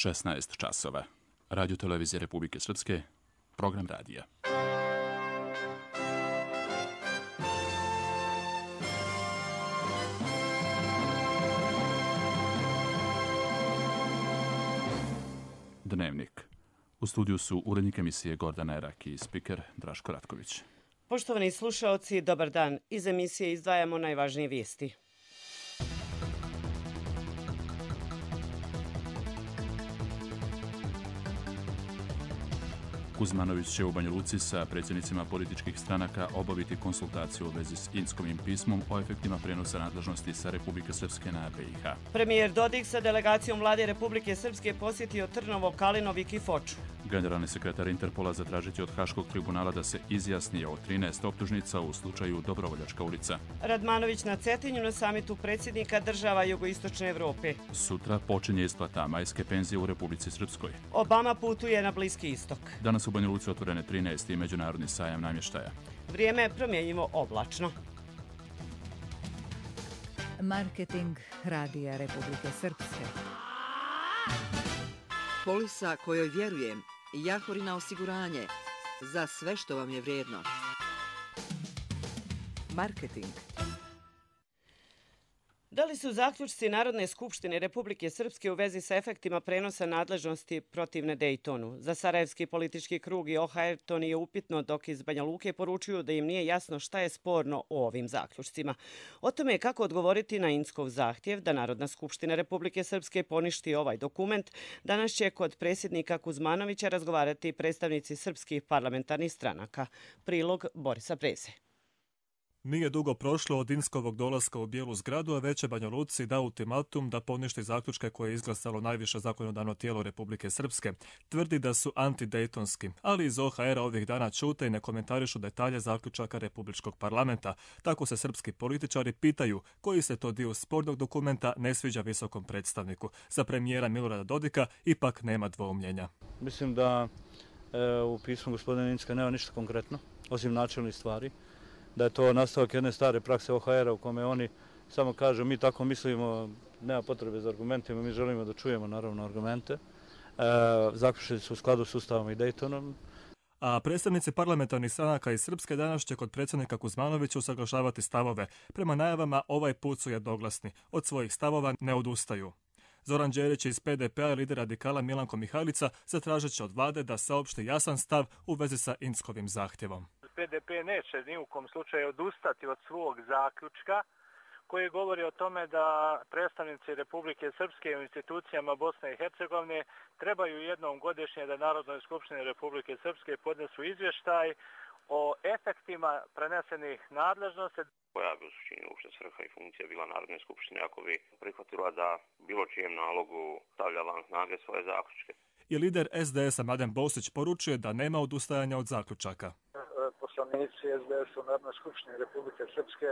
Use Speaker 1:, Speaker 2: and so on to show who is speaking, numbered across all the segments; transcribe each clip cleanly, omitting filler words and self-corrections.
Speaker 1: 16 časova. Radio televizije Republike Srpske, program radija. Dnevnik. U studiju su urednik emisije Gordana Erak i spiker Draško Ratković.
Speaker 2: Poštovani slušaoci, dobar dan. Iz emisije izdvajamo najvažnije vijesti.
Speaker 1: Kuzmanović će u Banja Luci sa predsjednicima političkih stranaka obaviti konsultaciju u vezi s Inskovim pismom o efektima prenosa nadležnosti sa Republike Srpske na BiH.
Speaker 2: Premijer Dodik sa delegacijom vlade Republike Srpske posjetio Trnovo, Kalinovik i Foču.
Speaker 1: Generalni sekretar Interpola zatražit će od Haškog tribunala da se izjasni o 13 optužnica u slučaju Dobrovoljačka ulica.
Speaker 2: Radmanović na Cetinju na samitu predsjednika država Jugoistočne Evrope.
Speaker 1: Sutra počinje isplata majske penzije u Republici Srpskoj.
Speaker 2: Obama putuje na Bliski istok.
Speaker 1: Danas u Banja Luci otvorene 13. međunarodni sajam namještaja.
Speaker 2: Vrijeme je promjenjivo oblačno.
Speaker 3: Marketing radija Republike Srpske.
Speaker 4: Polisa kojoj vjerujem, Jahorina osiguranje, za sve što vam je vrijedno. Marketing.
Speaker 2: Da li su zaključci Narodne skupštine Republike Srpske u vezi sa efektima prenosa nadležnosti protivne Dejtonu? Za Sarajevski politički krug i OHR to nije upitno, dok iz Banja Luke poručuju da im nije jasno šta je sporno u ovim zaključcima. O tome kako odgovoriti na Inskov zahtjev da Narodna skupština Republike Srpske poništi ovaj dokument, danas će kod predsjednika Kuzmanovića razgovarati predstavnici srpskih parlamentarnih stranaka. Prilog Borisa Preze.
Speaker 5: Nije dugo prošlo od Inskovog dolaska u Bijelu zgradu, a već je Banja Luci dao ultimatum da poništi zaključke koje je izglasalo najviše zakonodavno tijelo Republike Srpske. Tvrdi da su antidejtonski, ali iz OHR-a ovih dana čute i ne komentarišu detalje zaključaka Republičkog parlamenta. Tako se srpski političari pitaju koji se to dio spornog dokumenta ne sviđa visokom predstavniku. Za premijera Milorada Dodika ipak nema dvoumljenja.
Speaker 6: Mislim da u pismu gospodina Inska nema ništa konkretno, osim načelnih stvari. Da je to nastavak jedne stare prakse OHR-a u kome oni samo kažu mi tako mislimo, nema potrebe za argumentima, mi želimo da čujemo naravno argumente. Zaključili su u skladu s Ustavom i Dejtonom.
Speaker 5: A predstavnici parlamentarnih stranaka iz Srpske danas će kod predsjednika Kuzmanovića usaglašavati stavove. Prema najavama ovaj put su jednoglasni. Od svojih stavova ne odustaju. Zoran Đerić iz PDP-a i lider radikala Milanko Mihajlica zatražit će od vlade da saopšti jasan stav u vezi sa Inskovim zahtjevom.
Speaker 7: PDP neće ni u kom slučaju odustati od svog zaključka koji govori o tome da predstavnici Republike Srpske u institucijama Bosne i Hercegovine trebaju jednom godišnje da Narodnoj skupštini Republike Srpske podnesu izvještaj o efektima prenesenih nadležnosti.
Speaker 8: Koja bi u suštini uopšte svrha i funkcija bila Narodne skupštine ako bi prihvatila da bilo čijem nalogu stavlja van snage svoje zaključke.
Speaker 5: I lider SDS-a Mladen Bosić poručuje da nema odustajanja od zaključaka.
Speaker 9: Poslanici SDS u Narodnoj skupštini Republike Srpske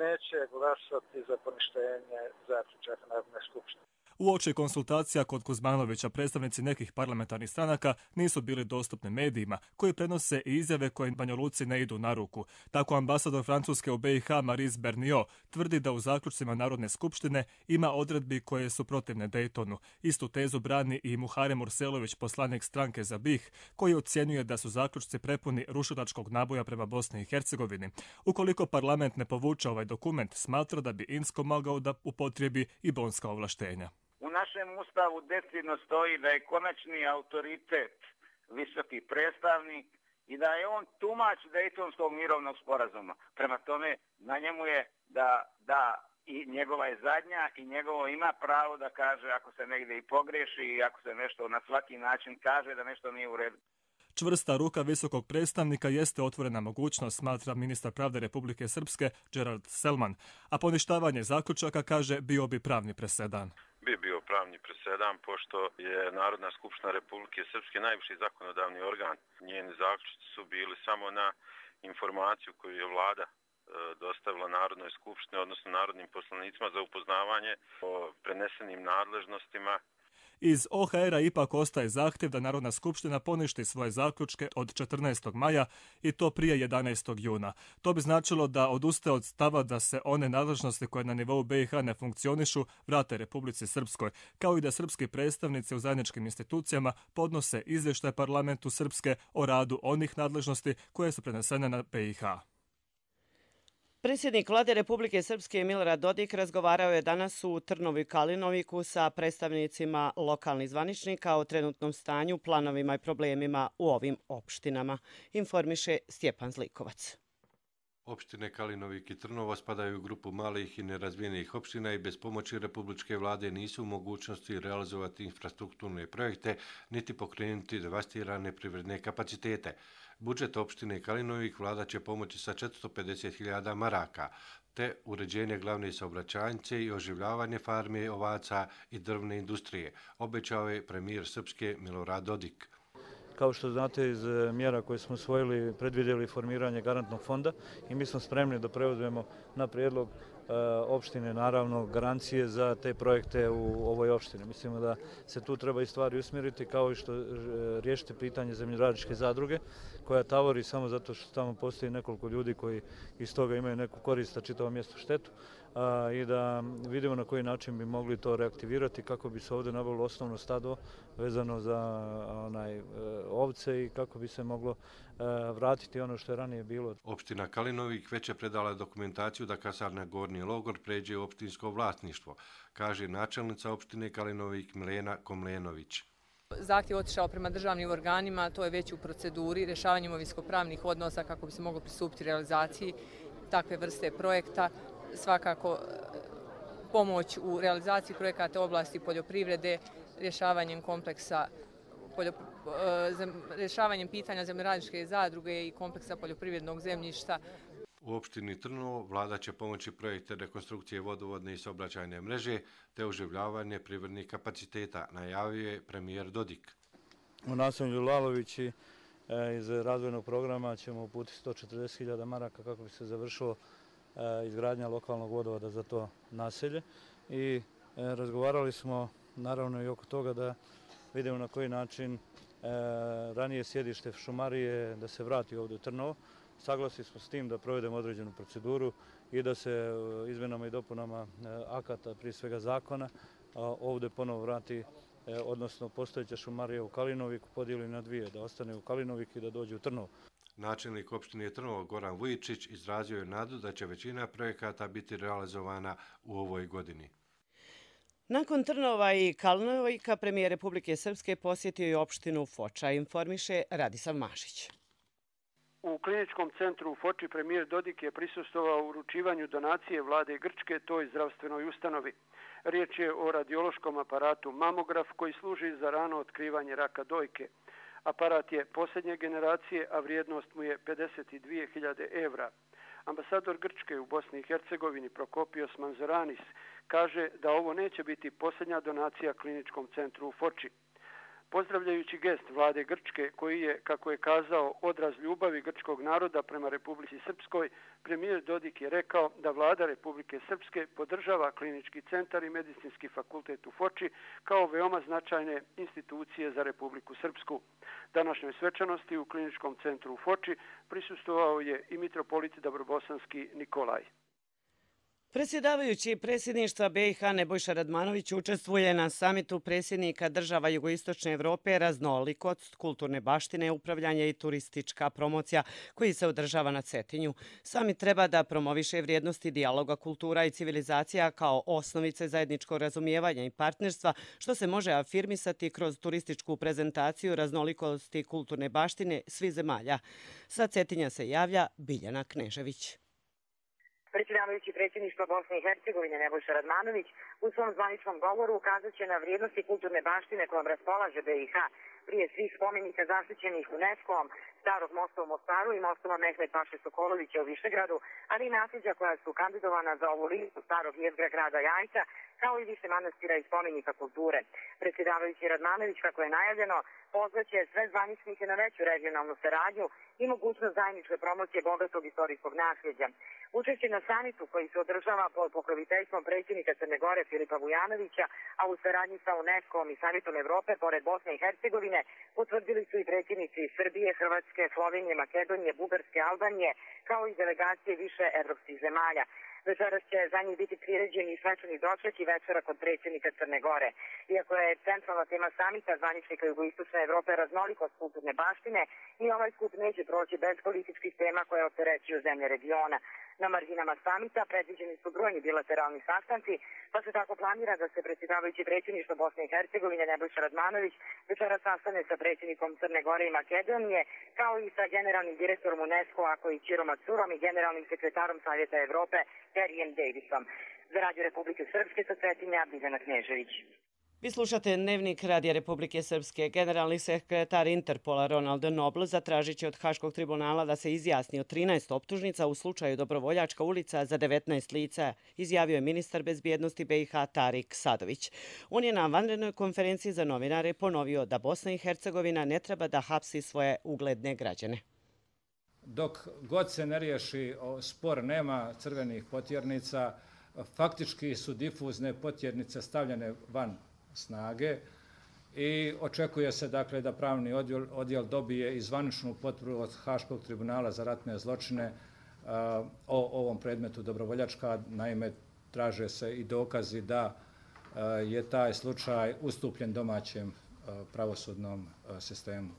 Speaker 9: neće glasati za poništenje zaključaka Narodne skupštine.
Speaker 5: Uoči konsultacija kod Kuzmanovića predstavnici nekih parlamentarnih stranaka nisu bili dostupni medijima koji prenose i izjave koje Banja Luci ne idu na ruku. Tako ambasador Francuske u BiH Maryse Bernio tvrdi da u zaključcima Narodne skupštine ima odredbi koje su protivne Dejtonu. Istu tezu brani i Muharem Urselović, poslanik stranke za BiH, koji ocjenjuje da su zaključci prepuni rušilačkog naboja prema Bosni i Hercegovini. Ukoliko parlament ne povuče ovaj dokument, smatra da bi Insko mogao da upotrijebi i bonska ovlaštenja.
Speaker 10: U našem ustavu decidno stoji da je konačni autoritet visoki predstavnik i da je on tumač Dejtonskog mirovnog sporazuma. Prema tome, na njemu je da i njegova je zadnja i njegovo ima pravo da kaže ako se negdje i pogreši i ako se nešto na svaki način kaže da nešto nije u redu.
Speaker 5: Čvrsta ruka visokog predstavnika jeste otvorena mogućnost, smatra ministar pravde Republike Srpske Gerard Selman, a poništavanje zaključaka, kaže, bio bi pravni presedan.
Speaker 11: Bi bio pravni presedan, pošto je Narodna skupština Republike Srpske najviši zakonodavni organ. Njeni zaključci su bili samo na informaciju koju je vlada dostavila Narodnoj skupštini, odnosno narodnim poslanicima za upoznavanje o prenesenim nadležnostima.
Speaker 5: Iz OHR-a ipak ostaje zahtjev da Narodna skupština poništi svoje zaključke od 14. maja i to prije 11. juna. To bi značilo da odustaje od stava da se one nadležnosti koje na nivou BiH ne funkcionišu vrate Republici Srpskoj, kao i da srpski predstavnici u zajedničkim institucijama podnose izvještaj parlamentu Srpske o radu onih nadležnosti koje su prenesene na BiH.
Speaker 2: Predsjednik Vlade Republike Srpske Milorad Dodik razgovarao je danas u Trnovu i Kalinoviku sa predstavnicima lokalnih zvaničnika o trenutnom stanju, planovima i problemima u ovim opštinama, informiše Stjepan Zlikovac.
Speaker 12: Opštine Kalinovik i Trnovo spadaju u grupu malih i nerazvijenih opština i bez pomoći Republičke vlade nisu u mogućnosti realizovati infrastrukturne projekte niti pokrenuti devastirane privredne kapacitete. Budžet opštine Kalinovik vlada će pomoći sa 450.000 maraka, te uređenje glavne saobraćajnice i oživljavanje farme ovaca i drvne industrije, obećao je premijer Srpske Milorad Dodik.
Speaker 6: Kao što znate, iz mjera koje smo usvojili predvidjeli formiranje garantnog fonda i mi smo spremni da preuzmemo na prijedlog opštine naravno garancije za te projekte u ovoj opštini. Mislimo da se tu treba i stvari usmjeriti kao i što riješiti pitanje zemljoradničke zadruge koja tavori samo zato što tamo postoji nekoliko ljudi koji iz toga imaju neku korist, a čitavom mjestu štetu i da vidimo na koji način bi mogli to reaktivirati kako bi se ovdje nabavilo osnovno stado vezano za ovce i kako bi se moglo vratiti ono što je ranije bilo.
Speaker 12: Opština Kalinovik već je predala dokumentaciju da kasarna Gornji logor pređe u opštinsko vlasništvo, kaže načelnica opštine Kalinovik Milena Komlenović.
Speaker 13: Zahtjev otišao prema državnim organima, to je već u proceduri rješavanja imovinsko-pravnih odnosa kako bi se moglo pristupiti realizaciji takve vrste projekta. Svakako pomoć u realizaciji projekata u oblasti poljoprivrede, rješavanjem kompleksa rješavanjem pitanja zemljoradničke zadruge i kompleksa poljoprivrednog zemljišta.
Speaker 12: U opštini Trnovo vlada će pomoći projekte rekonstrukcije vodovodne i saobraćajne mreže te oživljavanje privrednih kapaciteta, najavio je premijer Dodik.
Speaker 6: U naselju Lalovići iz razvojnog programa ćemo uputiti 140.000 maraka kako bi se završilo izgradnja lokalnog vodovoda za to naselje i razgovarali smo naravno i oko toga da vidimo na koji način ranije sjedište šumarije da se vrati ovdje u Trnovo. Saglasili smo s tim da provedemo određenu proceduru i da se izmjenama i dopunama akata, prije svega zakona, ovdje ponovo vrati, odnosno postojeća šumarija u Kalinoviku podijeli na dvije, da ostane u Kalinovik i da dođe u Trnovo.
Speaker 12: Načelnik opštine Trnovo Goran Vujičić izrazio je nadu da će većina projekata biti realizovana u ovoj godini.
Speaker 2: Nakon Trnova i Kalinovika, premijer Republike Srpske posjetio i opštinu Foča, informiše Radislav Mašić.
Speaker 14: U kliničkom centru u Foči premijer Dodik je prisustvovao uručivanju donacije vlade Grčke toj zdravstvenoj ustanovi. Riječ je o radiološkom aparatu mamograf koji služi za rano otkrivanje raka dojke. Aparat je posljednje generacije, a vrijednost mu je 52.000 evra. Ambasador Grčke u Bosni i Hercegovini Prokopios Manzoranis kaže da ovo neće biti posljednja donacija kliničkom centru u Foči. Pozdravljajući gest vlade Grčke, koji je, kako je kazao, odraz ljubavi grčkog naroda prema Republici Srpskoj, premijer Dodik je rekao da vlada Republike Srpske podržava klinički centar i medicinski fakultet u Foči kao veoma značajne institucije za Republiku Srpsku. Današnjoj svečanosti u kliničkom centru u Foči prisustvovao je i mitropolit Dabrobosanski Nikolaj.
Speaker 2: Predsjedavajući predsjedništva BiH Nebojša Radmanović učestvuje na samitu predsjednika država Jugoistočne Evrope raznolikost, kulturne baštine, upravljanje i turistička promocija koji se održava na Cetinju. Samit treba da promoviše vrijednosti dijaloga kultura i civilizacija kao osnovice zajedničkog razumijevanja i partnerstva što se može afirmisati kroz turističku prezentaciju raznolikosti kulturne baštine svih zemalja. Sa Cetinja se javlja Biljana Knežević.
Speaker 15: Predsjedavajući predsjedništva Bosne i Hercegovine Nebojša Radmanović u svom zvaničnom govoru ukazat će na vrijednosti kulturne baštine kojom raspolaže BiH, prije svih spomenika zaštićenih UNESCO-om, Starog mosta u Mostaru i mostova Mehmet Paše Sokolovića u Višegradu, ali i nasljeđa koja su kandidovana za ovu listu starog jezgra grada Jajca, kao i više manastira i spomenika kulture. Predsjedavajući Radmanović, kako je najavljeno, pozvaće sve zvaničnike na veću regionalnu saradnju i mogućnost zajedničke promocije bogatog istorijskog nasljeđa. Učešće na samitu koji se održava pod pokroviteljstvom predsjednika Crne Gore Filipa Vujanovića, a u saradnji sa UNESCO-om i Samitom Evrope, pored Bosne i Hercegovine, potvrdili su i predsjednici Srbije, Hrvatske, Slovenije, Makedonije, Bugarske, Albanije, kao i delegacije više evropskih zemalja. Večeras će za njih biti priređeni i svečani doček i večera kod predsjednika Crne Gore. Iako je centralna tema samita zvaničnika Jugoistočne Evrope raznolikost kulturne baštine, ni ovaj skup neće proći bez političkih tema koje opterećuju zemlje regiona. Na marginama samita predviđeni su brojni bilateralni sastanci, pa se tako planira da se predsjedavajući predsjedništva Bosne i Hercegovine Nebojša Radmanović večera sastane sa predsjednikom Crne Gore i Makedonije, kao i sa generalnim direktorom UNESCO-a koji Ćirom Macurom i generalnim sekretarom Savjeta Evrope Terijem Davisom. Za Radio Republike Srpske sa Cetinja, Biljana Knežević.
Speaker 2: Vi slušate Dnevnik Radija Republike Srpske. Generalni sekretar Interpola Ronald Noble zatražit će od Haškog tribunala da se izjasni o 13 optužnica u slučaju Dobrovoljačka ulica za 19 lica, izjavio je ministar bezbjednosti BiH Tarik Sadović. On je na vanrednoj konferenciji za novinare ponovio da Bosna i Hercegovina ne treba da hapsi svoje ugledne građane.
Speaker 16: Dok god se ne riješi spor, nema crvenih potjernica, faktički su difuzne potjernice stavljene van snage i očekuje se dakle da pravni odjel dobije i zvaničnu potvrdu od Haškog tribunala za ratne zločine o ovom predmetu Dobrovoljačka. Naime, traže se i dokazi da je taj slučaj ustupljen domaćem pravosudnom sistemu.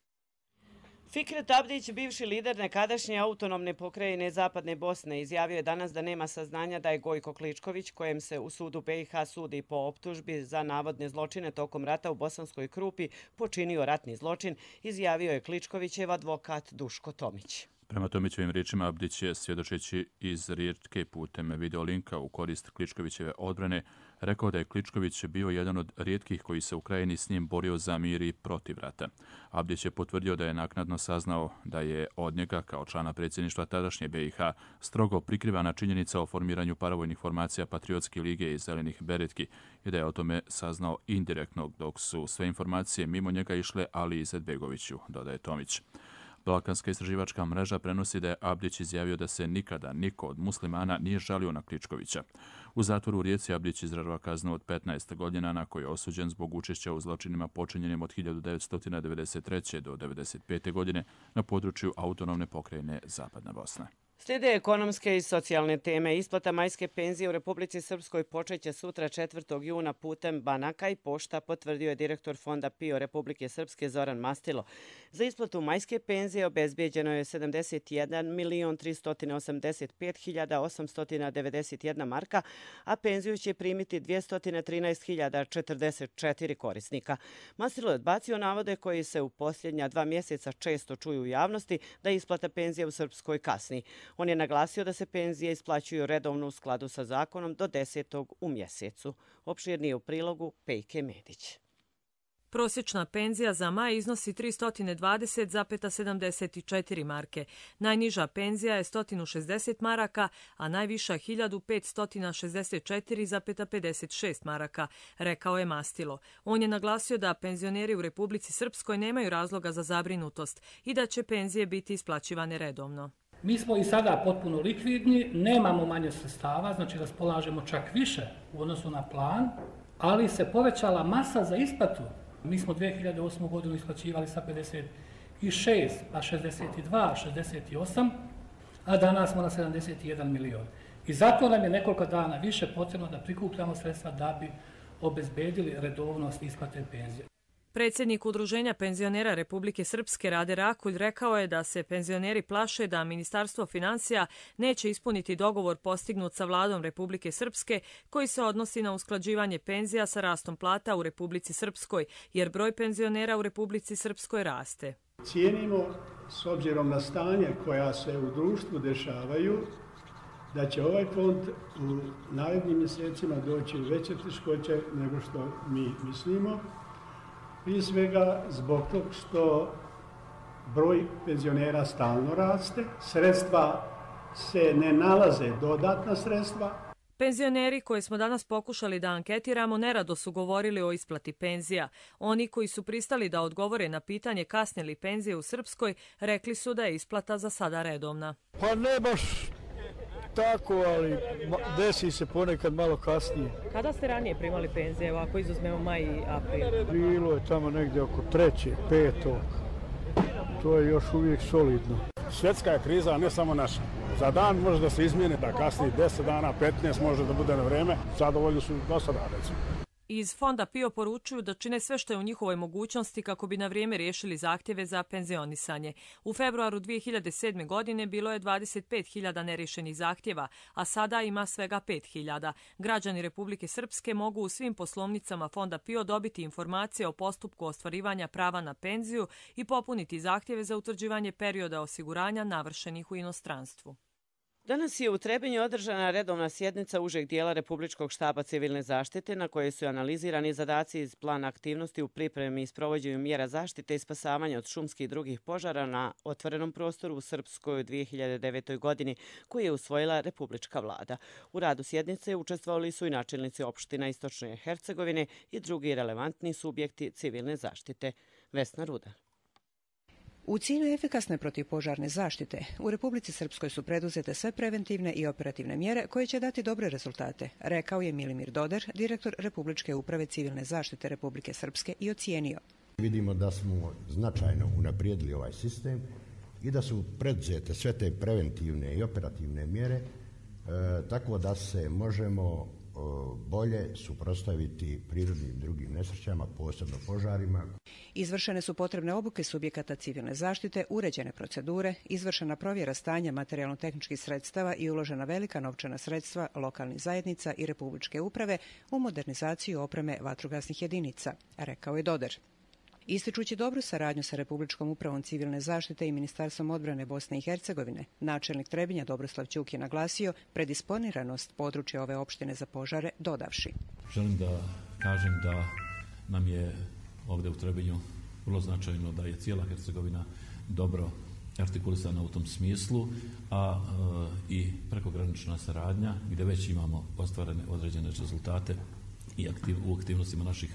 Speaker 2: Fikret Abdić, bivši lider nekadašnje autonomne pokrajine Zapadne Bosne, izjavio je danas da nema saznanja da je Gojko Kličković, kojem se u sudu BiH sudi po optužbi za navodne zločine tokom rata u Bosanskoj Krupi, počinio ratni zločin, izjavio je Kličkovićev advokat Duško Tomić.
Speaker 1: Prema Tomićevim riječima, Abdić je, svjedočeći iz Riječke putem videolinka u korist Kličkovićeve odbrane, rekao da je Kličković bio jedan od rijetkih koji se u krajini s njim borio za mir i protiv rata. Abdić je potvrdio da je naknadno saznao da je od njega, kao člana predsjedništva tadašnje BiH, strogo prikrivana činjenica o formiranju paravojnih formacija Patriotske lige i Zelenih beretki i da je o tome saznao indirektno, dok su sve informacije mimo njega išle Ali Izetbegoviću, dodaje Tomić. Balkanska istraživačka mreža prenosi da je Abdić izjavio da se nikada niko od muslimana nije žalio na Kličkovića. U zatvoru u Rijeci Abdić izdržava kaznu od 15 godina na koju je osuđen zbog učešća u zločinima počinjenim od 1993. do 1995. godine na području autonomne pokrajine Zapadna Bosna.
Speaker 2: Slijede ekonomske i socijalne teme. Isplata majske penzije u Republici Srpskoj počeće sutra 4. juna putem banaka i pošta, potvrdio je direktor Fonda PIO Republike Srpske Zoran Mastilo. Za isplatu majske penzije obezbijeđeno je 71.385.891 marka, a penziju će primiti 213.044 korisnika. Mastilo je odbacio navode koji se u posljednja 2 mjeseca često čuju u javnosti da isplata penzije u Srpskoj kasni. On je naglasio da se penzije isplaćuju redovno u skladu sa zakonom do 10. u mjesecu. Opširnije u prilogu Pejke Medić.
Speaker 17: Prosječna penzija za maj iznosi 320,74 marke. Najniža penzija je 160 maraka, a najviša 1564,56 maraka, rekao je Mastilo. On je naglasio da penzioneri u Republici Srpskoj nemaju razloga za zabrinutost i da će penzije biti isplaćivane redovno.
Speaker 18: Mi smo i sada potpuno likvidni, nemamo manje sredstava, znači raspolažemo čak više u odnosu na plan, ali se povećala masa za isplatu. Mi smo 2008. godinu isplaćivali sa 56, pa 62, 68, a danas smo na 71 milion. I zato nam je nekoliko dana više potrebno da prikupljamo sredstva da bi obezbedili redovnost isplate penzije.
Speaker 17: Predsjednik Udruženja penzionera Republike Srpske Rade Rakulj rekao je da se penzioneri plaše da Ministarstvo financija neće ispuniti dogovor postignut sa vladom Republike Srpske koji se odnosi na usklađivanje penzija sa rastom plata u Republici Srpskoj, jer broj penzionera u Republici Srpskoj raste.
Speaker 19: Cijenimo, s obzirom na stanje koja se u društvu dešavaju, da će ovaj fond u narednim mjesecima doći u veće teškoće nego što mi mislimo. Prije svega zbog tog što broj penzionera stalno raste, sredstva se ne nalaze, dodatna sredstva.
Speaker 17: Penzioneri koje smo danas pokušali da anketiramo nerado su govorili o isplati penzija. Oni koji su pristali da odgovore na pitanje kasne li penzije u Srpskoj, rekli su da je isplata za sada redovna.
Speaker 20: Pa ne baš tako, ali desi se ponekad malo kasnije.
Speaker 17: Kada ste ranije primali penzije, ako izuzmemo maj i april?
Speaker 20: Bilo je tamo negdje oko 3., 5. To je još uvijek solidno.
Speaker 21: Svjetska je kriza, a ne samo naša. Za dan može da se izmijeni, da kasni 10 dana, 15 može da bude na vreme. Zadovoljni su do sada, recimo.
Speaker 17: Iz Fonda PIO poručuju da čine sve što je u njihovoj mogućnosti kako bi na vrijeme riješili zahtjeve za penzionisanje. U februaru 2007. godine bilo je 25.000 neriješenih zahtjeva, a sada ima svega 5.000. Građani Republike Srpske mogu u svim poslovnicama Fonda PIO dobiti informacije o postupku ostvarivanja prava na penziju i popuniti zahtjeve za utvrđivanje perioda osiguranja navršenih u inostranstvu.
Speaker 2: Danas je u Trebinju održana redovna sjednica užeg dijela Republičkog štaba civilne zaštite na kojoj su analizirani zadaci iz plana aktivnosti u pripremi i sprovođenju mjera zaštite i spasavanja od šumskih i drugih požara na otvorenom prostoru u Srpskoj u 2009. godini koju je usvojila Republička vlada. U radu sjednice učestvovali su i načelnici opština Istočne Hercegovine i drugi relevantni subjekti civilne zaštite. Vesna Rudar.
Speaker 22: U cilju efikasne protivpožarne zaštite, u Republici Srpskoj su preduzete sve preventivne i operativne mjere koje će dati dobre rezultate, rekao je Milimir Doder, direktor Republičke uprave civilne zaštite Republike Srpske i ocijenio.
Speaker 23: Vidimo da smo značajno unaprijedili ovaj sistem i da su preduzete sve te preventivne i operativne mjere, tako da se možemo bolje suprotstaviti prirodnim drugim nesrećama, posebno požarima.
Speaker 22: Izvršene su potrebne obuke subjekata civilne zaštite, uređene procedure, izvršena provjera stanja materijalno-tehničkih sredstava i uložena velika novčana sredstva lokalnih zajednica i Republičke uprave u modernizaciju opreme vatrogasnih jedinica, rekao je Doder. Ističući dobru saradnju sa Republičkom upravom civilne zaštite i Ministarstvom odbrane Bosne i Hercegovine, načelnik Trebinja Dobroslav Ćuk je naglasio predisponiranost područja ove opštine za požare, dodavši.
Speaker 24: Želim da kažem da nam je ovdje u Trebinju vrlo značajno da je cijela Hercegovina dobro artikulisana u tom smislu, a i prekogranična saradnja gdje već imamo ostvarene određene rezultate i u aktivnostima naših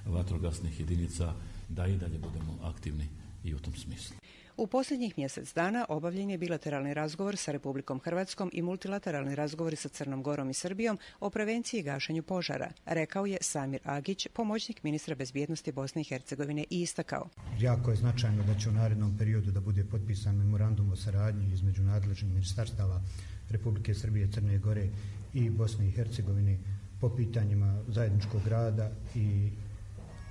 Speaker 24: vatrogasnih jedinica, da i dalje budemo aktivni i u tom smislu.
Speaker 22: U posljednjih mjesec dana obavljen je bilateralni razgovor sa Republikom Hrvatskom i multilateralni razgovori sa Crnom Gorom i Srbijom o prevenciji i gašenju požara, rekao je Samir Agić, pomoćnik ministra bezbjednosti Bosne i Hercegovine, i istakao.
Speaker 25: Jako je značajno da će u narednom periodu da bude potpisan memorandum o saradnji između nadležnih ministarstava Republike Srbije, Crne Gore i Bosne i Hercegovine po pitanjima zajedničkog rada i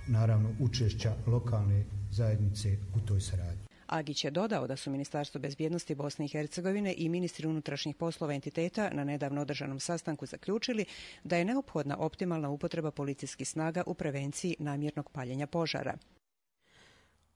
Speaker 25: naravno učešća lokalne zajednice u toj saradnji.
Speaker 22: Agić je dodao da su Ministarstvo bezbjednosti Bosne i Hercegovine i ministri unutrašnjih poslova entiteta na nedavno održanom sastanku zaključili da je neophodna optimalna upotreba policijskih snaga u prevenciji namjernog paljenja požara.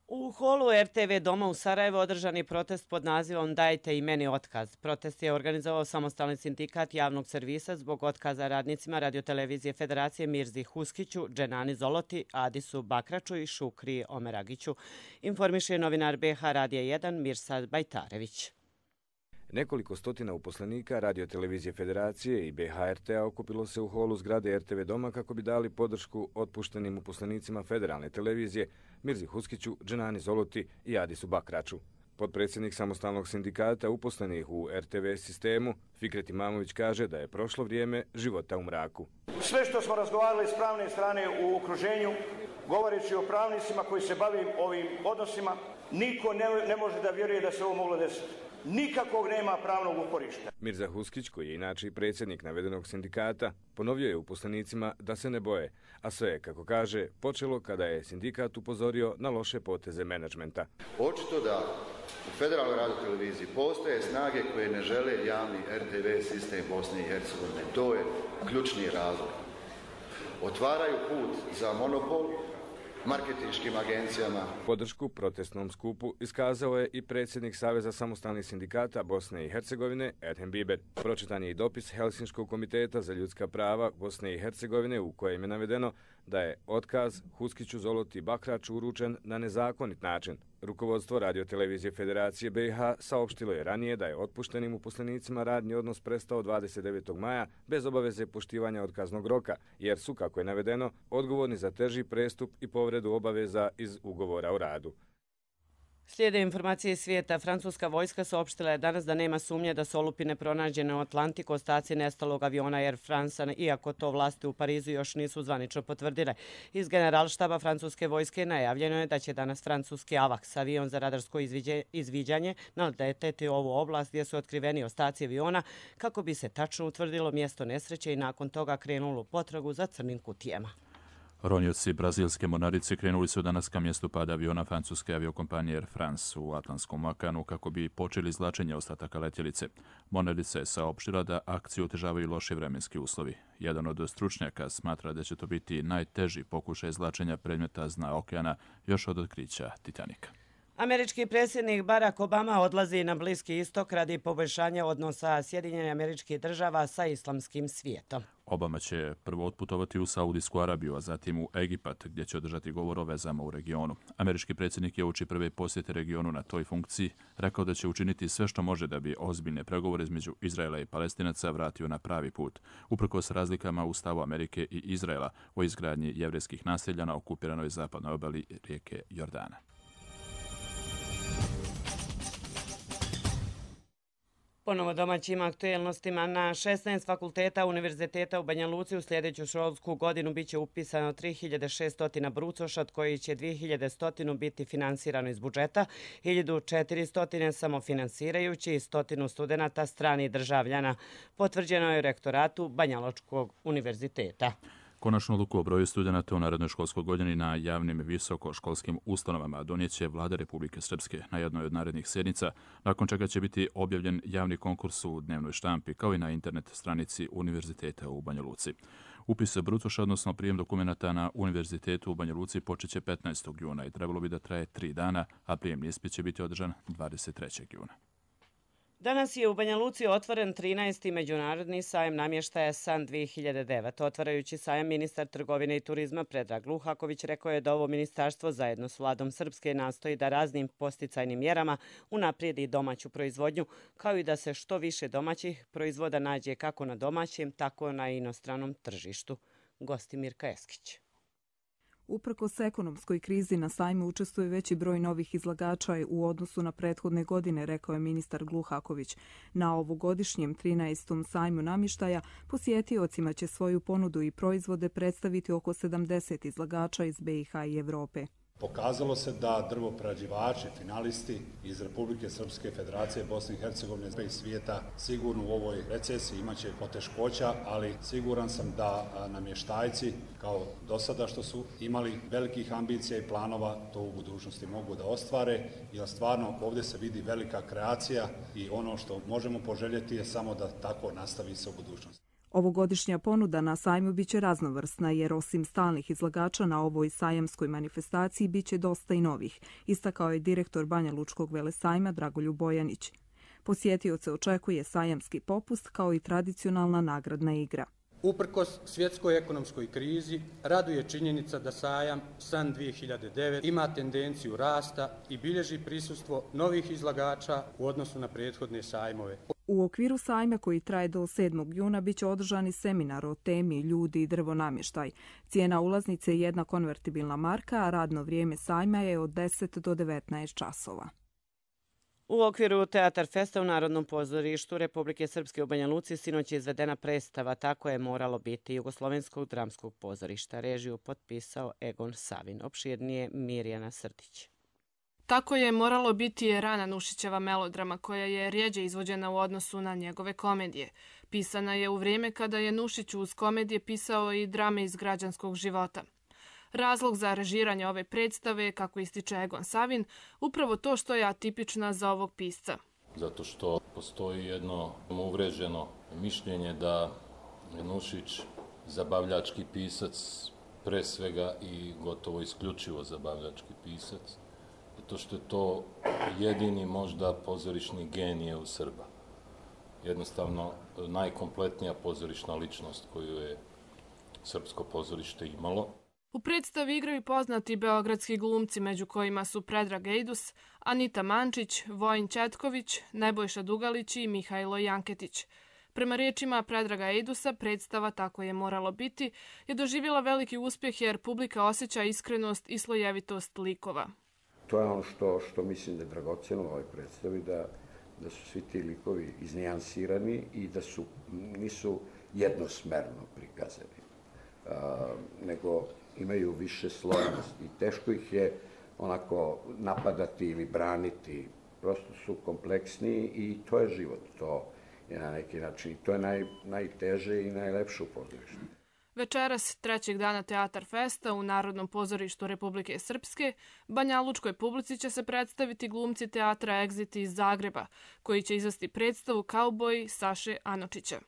Speaker 2: U holu RTV Doma u Sarajevu održan je protest pod nazivom Dajte i meni otkaz. Protest je organizovao Samostalni sindikat javnog servisa zbog otkaza radnicima Radiotelevizije Federacije Mirzi Huskiću, Dženani Zoloti, Adisu Bakraču i Šukri Omeragiću. Informiše novinar BH Radija 1 Mirsad Bajtarević.
Speaker 26: Nekoliko stotina uposlenika Radiotelevizije Federacije i BHRT-a okupilo se u holu zgrade RTV Doma kako bi dali podršku otpuštenim uposlenicima Federalne televizije Mirzi Huskiću, Dženani Zoloti i Adisu Bakraču. Potpredsjednik Samostalnog sindikata uposlenih u RTV sistemu, Fikret Imamović, kaže da je prošlo vrijeme života u mraku.
Speaker 27: Sve što smo razgovarali s pravne strane u okruženju, govoreći o pravnicima koji se bavim ovim odnosima, niko ne može da vjeruje da se ovo moglo desiti. Nikakvog nema pravnog uporišta.
Speaker 26: Mirza Huskić, koji je inače predsjednik navedenog sindikata, ponovio je uposlenicima da se ne boje, a sve je, kako kaže, počelo kada je sindikat upozorio na loše poteze menadžmenta.
Speaker 28: Očito da u Federalnoj radioteleviziji postoje snage koje ne žele javni RTV sistem Bosne i Hercegovine. To je ključni razlog. Otvaraju put za monopol marketinškim agencijama.
Speaker 26: Podršku protestnom skupu iskazao je i predsjednik Saveza samostalnih sindikata Bosne i Hercegovine Edhem Biber. Pročitan je i dopis Helsinškog komiteta za ljudska prava Bosne i Hercegovine u kojem je navedeno da je otkaz Huskiću, Zoloti i Bakraču uručen na nezakonit način. Rukovodstvo Radiotelevizije Federacije BiH saopštilo je ranije da je otpuštenim uposlenicima radni odnos prestao 29. maja bez obaveze poštivanja otkaznog roka, jer su, kako je navedeno, odgovorni za teži prestup i povredu obaveza iz ugovora o radu.
Speaker 2: Slijede informacije iz svijeta. Francuska vojska saopštila je danas da nema sumnje da su olupine pronađene u Atlantiku ostaci nestalog aviona Air France, iako to vlasti u Parizu još nisu zvanično potvrdile. Iz generalštaba francuske vojske najavljeno je da će danas francuski AWACS, avion za radarsko izviđanje, naleteti ovu oblast gdje su otkriveni ostaci aviona kako bi se tačno utvrdilo mjesto nesreće i nakon toga krenulo potragu za crnim kutijama.
Speaker 1: Ronioci brazilske mornarice krenuli su danas ka mjestu pada aviona francuske aviokompanije Air France u Atlantskom okeanu kako bi počeli izvlačenje ostataka letjelice. Mornarica je saopštila da akciju otežavaju loši vremenski uslovi. Jedan od stručnjaka smatra da će to biti najteži pokušaj izvlačenja predmeta s dna okeana još od otkrića Titanika.
Speaker 2: Američki predsjednik Barack Obama odlazi na Bliski istok radi poboljšanja odnosa Sjedinjenih Američkih Država sa islamskim svijetom.
Speaker 1: Obama će prvo otputovati u Saudijsku Arabiju, a zatim u Egipat, gdje će održati govor o vezama u regionu. Američki predsjednik je uoči prve posjete regionu na toj funkciji rekao da će učiniti sve što može da bi ozbiljne pregovore između Izraela i Palestinaca vratio na pravi put, uprkos razlikama u stavu Amerike i Izraela o izgradnji jevrejskih naselja na okupiranoj zapadnoj obali rijeke Jordana.
Speaker 2: Ponovo domaćim aktuelnostima. Na 16 fakulteta Univerziteta u Banja Luci u sljedeću školsku godinu biće upisano 3600 brucoša, od koji će 2100 biti finansirano iz budžeta, 1400 samofinansirajući i 100 studenata stranih državljana. Potvrđeno je u rektoratu Banjalučkog univerziteta.
Speaker 1: Konačnu odluku o broju studenata u narednoj školskoj godini na javnim visokoškolskim ustanovama donijet će Vlada Republike Srpske na jednoj od narednih sjednica, nakon čega će biti objavljen javni konkurs u dnevnoj štampi, kao i na internet stranici Univerziteta u Banja Luci. Upis brucoša, odnosno prijem dokumenata na Univerzitetu u Banja Luci, počeće 15. juna i trebalo bi da traje 3 dana, a prijemni ispit će biti održan 23. juna.
Speaker 2: Danas je u Banja Luci otvoren 13. međunarodni sajam namještaja SAN 2009. Otvarajući sajam, ministar trgovine i turizma Predrag Luhaković rekao je da ovo ministarstvo zajedno s vladom Srpske nastoji da raznim posticajnim mjerama unaprijedi domaću proizvodnju, kao i da se što više domaćih proizvoda nađe kako na domaćem, tako na inostranom tržištu. Gosti Mirka Eskić.
Speaker 3: Uprkos ekonomskoj krizi na sajmu učestvuje veći broj novih izlagača u odnosu na prethodne godine, rekao je ministar Gluhaković. Na ovogodišnjem 13. sajmu namještaja posjetiocima će svoju ponudu i proizvode predstaviti oko 70 izlagača iz BiH i Evrope.
Speaker 4: Pokazalo se da drvoprerađivači, finalisti iz Republike Srpske, Federacije Bosne i Hercegovine i svijeta sigurno u ovoj recesiji imaće poteškoća, ali siguran sam da namještajci kao do sada što su imali velikih ambicija i planova to u budućnosti mogu da ostvare, jer stvarno ovdje se vidi velika kreacija i ono što možemo poželjeti je samo da tako nastavi se u budućnosti.
Speaker 3: Ovogodišnja ponuda na sajmu biće raznovrsna jer osim stalnih izlagača na ovoj sajamskoj manifestaciji biće dosta i novih, istakao je direktor Banjalučkog velesajma Dragoljub Bojanić. Posjetioce očekuje sajamski popust kao i tradicionalna nagradna igra.
Speaker 5: Uprkos svjetskoj ekonomskoj krizi, raduje činjenica da sajam SAN 2009 ima tendenciju rasta i bilježi prisustvo novih izlagača u odnosu na prethodne sajmove.
Speaker 3: U okviru sajma koji traje do 7. juna biće održani seminar o temi ljudi i drvonamještaj. Cijena ulaznice je jedna konvertibilna marka, a radno vrijeme sajma je od 10 do 19 časova.
Speaker 2: U okviru Teatar Festa u Narodnom pozorištu Republike Srpske u Banja Luci sinoć je izvedena predstava Tako je moralo biti Jugoslovenskog dramskog pozorišta. Režiju potpisao Egon Savin. Opširnije Mirjana Srdić.
Speaker 7: Tako je moralo biti je Rana Nušićeva melodrama koja je rjeđe izvođena u odnosu na njegove komedije. Pisana je u vrijeme kada je Nušić uz komedije pisao i drame iz građanskog života. Razlog za režiranje ove predstave, kako ističe Egon Savin, upravo to što je atipična za ovog pisca.
Speaker 8: Zato što postoji jedno uvreženo mišljenje da je Nušić zabavljački pisac, pre svega i gotovo isključivo zabavljački pisac, zato što je to jedini možda pozorišni genije u Srba. Jednostavno najkompletnija pozorišna ličnost koju je srpsko pozorište imalo.
Speaker 7: U predstavi igraju poznati beogradski glumci, među kojima su Predrag Ejdus, Anita Mančić, Vojin Četković, Nebojša Dugalić i Mihajlo Janketić. Prema riječima Predraga Ejdusa, predstava Tako je moralo biti je doživjela veliki uspjeh jer publika osjeća iskrenost i slojevitost likova.
Speaker 6: To je ono što mislim da je dragocjeno u ovoj predstavi, da su svi ti likovi iznijansirani i da nisu jednosmerno prikazani, nego imaju više slojnosti i teško ih je onako napadati ili braniti. Prosto su kompleksniji i to je život, to je na neki način, to je najteže i najlepše u pozorištu.
Speaker 7: Večeras, trećeg dana Teatar Festa u Narodnom pozorištu Republike Srpske, banjalučkoj publici će se predstaviti glumci teatra Exit iz Zagreba, koji će izvesti predstavu Kauboji Saše Anočića.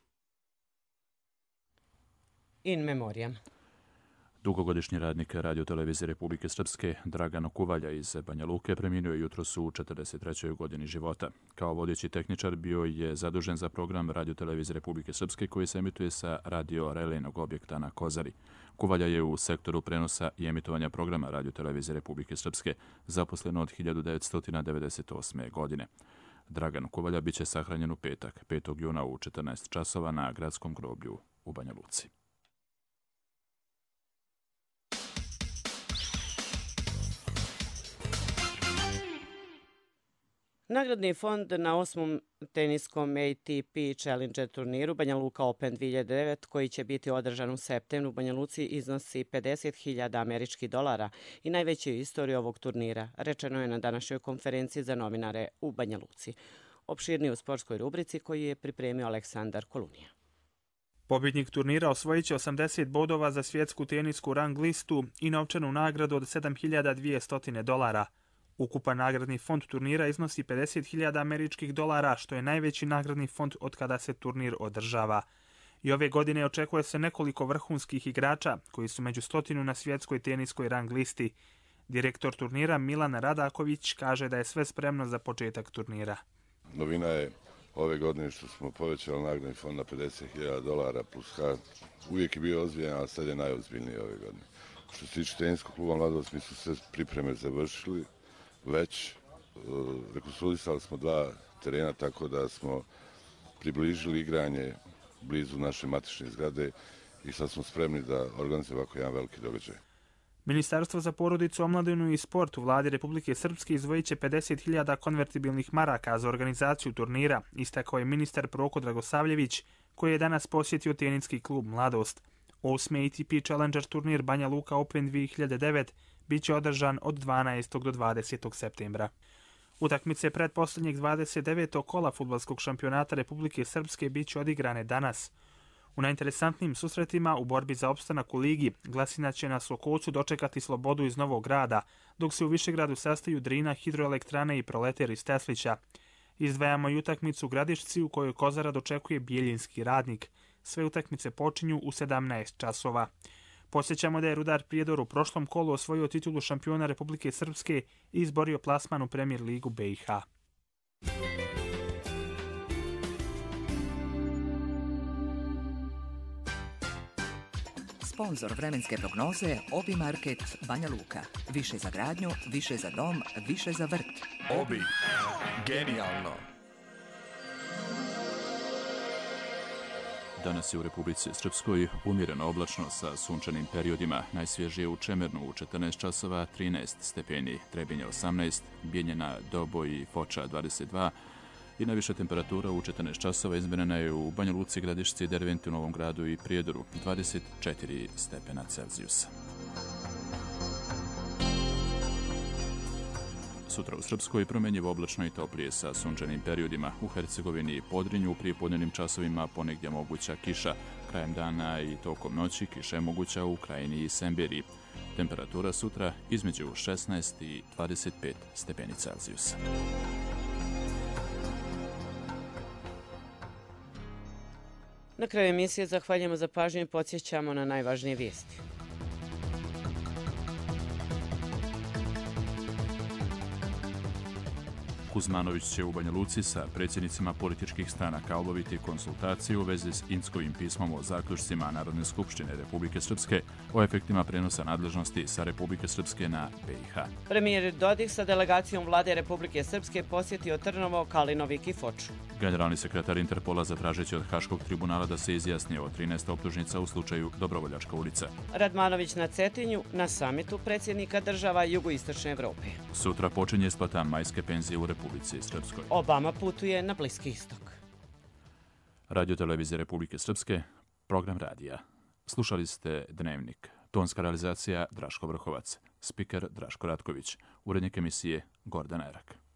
Speaker 2: In memoriam.
Speaker 1: Dugogodišnji radnik radiotelevizije Republike Srpske Dragan Kuvalja iz Banja Luke preminuo je jutros u 43. godini života. Kao vodeći tehničar bio je zadužen za program radiotelevizije Republike Srpske koji se emituje sa radio relejnog objekta na Kozari. Kuvalja je u sektoru prenosa i emitovanja programa radiotelevizije Republike Srpske zaposlen od 1998. godine. Dragan Kuvalja biće sahranjen u petak, 5. juna u 14 časova na gradskom groblju u Banja Luci.
Speaker 2: Nagradni fond na 8. teniskom ATP Challenger turniru Banja Luka Open 2009, koji će biti održan u septembru u Banja Luci, iznosi $50.000 američkih i najveći u istoriji ovog turnira, rečeno je na današnjoj konferenciji za novinare u Banja Luci. Opširnije u sportskoj rubrici koju je pripremio Aleksandar Kolunija.
Speaker 9: Pobjednik turnira osvojit će 80 bodova za svjetsku tenisku rang listu i novčanu nagradu od $7.200. Ukupan nagradni fond turnira iznosi $50.000 američkih, što je najveći nagradni fond od kada se turnir održava. I ove godine očekuje se nekoliko vrhunskih igrača koji su među 100 na svjetskoj teniskoj rang listi. Direktor turnira Milan Radaković kaže da je sve spremno za početak turnira.
Speaker 10: Novina je ove godine što smo povećali nagradni fond na $50.000 plus H. Uvijek je bio ozbiljan, ali sad je najozbiljniji ove godine. Što se tiče teniskog kluba Mladost, mi su sve pripreme završili. Već rekonstruisali smo 2 terena, tako da smo približili igranje blizu naše matične zgrade i sad smo spremni da organizujemo ovako jedan veliki događaj.
Speaker 9: Ministarstvo za porodicu, omladinu i sport u vladi Republike Srpske izdvojit će 50.000 konvertibilnih maraka za organizaciju turnira, istakao je ministar Proko Dragosavljević, koji je danas posjetio teniski klub Mladost. 8. ATP Challenger turnir Banja Luka Open 2009 bit će održan od 12. do 20. septembra. Utakmice pretposlednjeg 29. kola fudbalskog šampionata Republike Srpske bit će odigrane danas. U najinteresantnijim susretima u borbi za opstanak u ligi Glasina će na Slokovcu dočekati Slobodu iz Novog Grada, dok se u Višegradu sastaju Drina, Hidroelektrane i Proleter iz Teslića. Izdvajamo i utakmicu u Gradišci u kojoj Kozara dočekuje Bijeljinski Radnik. Sve utakmice počinju u 17 časova. Podsjećamo da je Rudar Prijedor u prošlom kolu osvojio titulu šampiona Republike Srpske i izborio plasman u Premier ligu BiH.
Speaker 11: Sponzor vremenske prognoze Obi Market Banja Luka. Više za gradnju, više za dom, više za vrt.
Speaker 12: Obi. Genijalno.
Speaker 1: Danas je u Republici Srpskoj umjereno oblačno sa sunčanim periodima. Najsvježije u Čemernu u 14 časova 13 stepeni, Trebinje 18, Bijeljina, Doboj i Foča 22 i najviša temperatura u 14 časova izmjerena je u Banja Luci, Gradišci, Derventi, u Novom Gradu i Prijedoru 24 stepena Celzijusa. Sutra u Srpskoj promjenjivo oblačno i toplije sa sunčanim periodima. U Hercegovini i Podrinju u prijepodnevnim časovima ponegdje moguća kiša. Krajem dana i tokom noći kiša je moguća u Krajini i Semberiji. Temperatura sutra između 16 i 25 stepeni Celzijusa.
Speaker 2: Na kraju emisije zahvaljujemo za pažnju i podsjećamo na najvažnije vijesti.
Speaker 1: Kuzmanović će u Banja Luci sa predsjednicima političkih stranaka obaviti konsultaciju u vezi s Inskovim pismom o zaključcima Narodne skupštine Republike Srpske o efektima prenosa nadležnosti sa Republike Srpske na BiH.
Speaker 2: Premijer Dodik sa delegacijom vlade Republike Srpske posjetio Trnovo, Kalinovik i Foču.
Speaker 1: Generalni sekretar Interpola zatražeći od Haškog tribunala da se izjasni o 13 optužnica u slučaju Dobrovoljačka ulica.
Speaker 2: Radmanović na Cetinju na samitu predsjednika država Jugoistočne Evrope.
Speaker 1: Sutra počinje isplata majske penzije u Republici Srpskoj.
Speaker 2: Obama putuje na Bliski istok.
Speaker 1: Radio televizije Republike Srpske, program radija. Slušali ste Dnevnik. Tonska realizacija Draško Vrhovac. Spiker Draško Ratković. Urednik emisije Gordana Erak.